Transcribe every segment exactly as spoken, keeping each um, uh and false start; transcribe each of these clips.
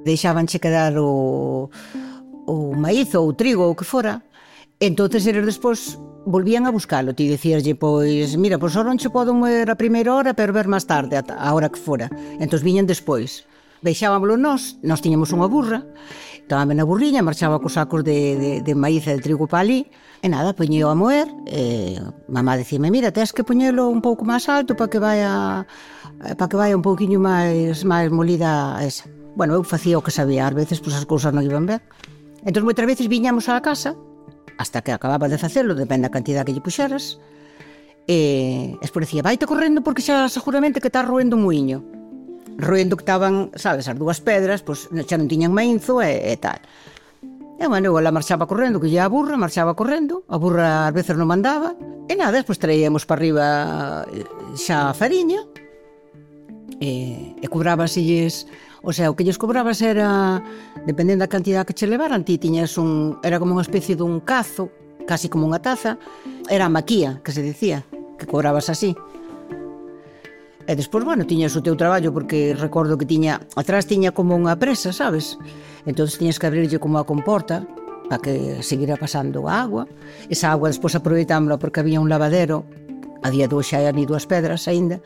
deixábanche quedar o, o maíz ou o trigo ou o que fora, entonces eles despois volvían a buscalo. Ti dicíaslle, pois, mira, pois ahora non che podo moer a primeira hora, pero ver máis tarde, a hora que fora. Entón viñan despois. Deixábamolo nós, nós tiñamos unha burra, tomáme na burriña, marchaba cos sacos de, de, de maíz e de trigo para ali, e nada, poñeo a moer, e mamá dicime, mira, tens que poñelo un pouco máis alto para que vaya para que vaya un pouquiño máis máis molida esa. Bueno, eu facía o que sabía, ás veces pois as cousas non iban ben. Entón moitas veces viñamos á casa, hasta que acababa de facelo, depende da cantidad que lle puxeras, e despois dicía, vaite correndo porque xa seguramente que está roendo un muiño. Roendo que estaban, sabes, as dúas pedras, pois xa non tiñan mainzo e, e tal. E, bueno, eu la marchaba correndo, que lle a burra, marchaba correndo, a burra ás veces non mandaba, e nada, despois traíamos para arriba xa a fariña, e, e cobrábasilles, o sea, o que lles cobrabas era, dependendo da cantidad que che levaran, ti tiñas un, era como unha especie dun cazo, casi como unha taza, era a maquía, que se dicía, que cobrabas así. E despois, bueno, tiñas o teu traballo, porque recordo que tiña, atrás tiña como unha presa, sabes? Entón tiñas que abrirlle como a comporta para que seguira pasando a agua. Esa agua despois aproveitámosla porque había un lavadero, a día de hoxe hai ni dúas pedras aínda,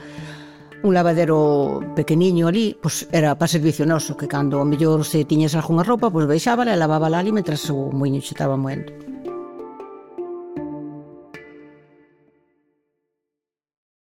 un lavadero pequeniño ali, pois era para servicio noso, que cando ao mellor se tiñas algunha roupa, pois baixábala e lavábala ali mentras o muiño xe estaba moendo.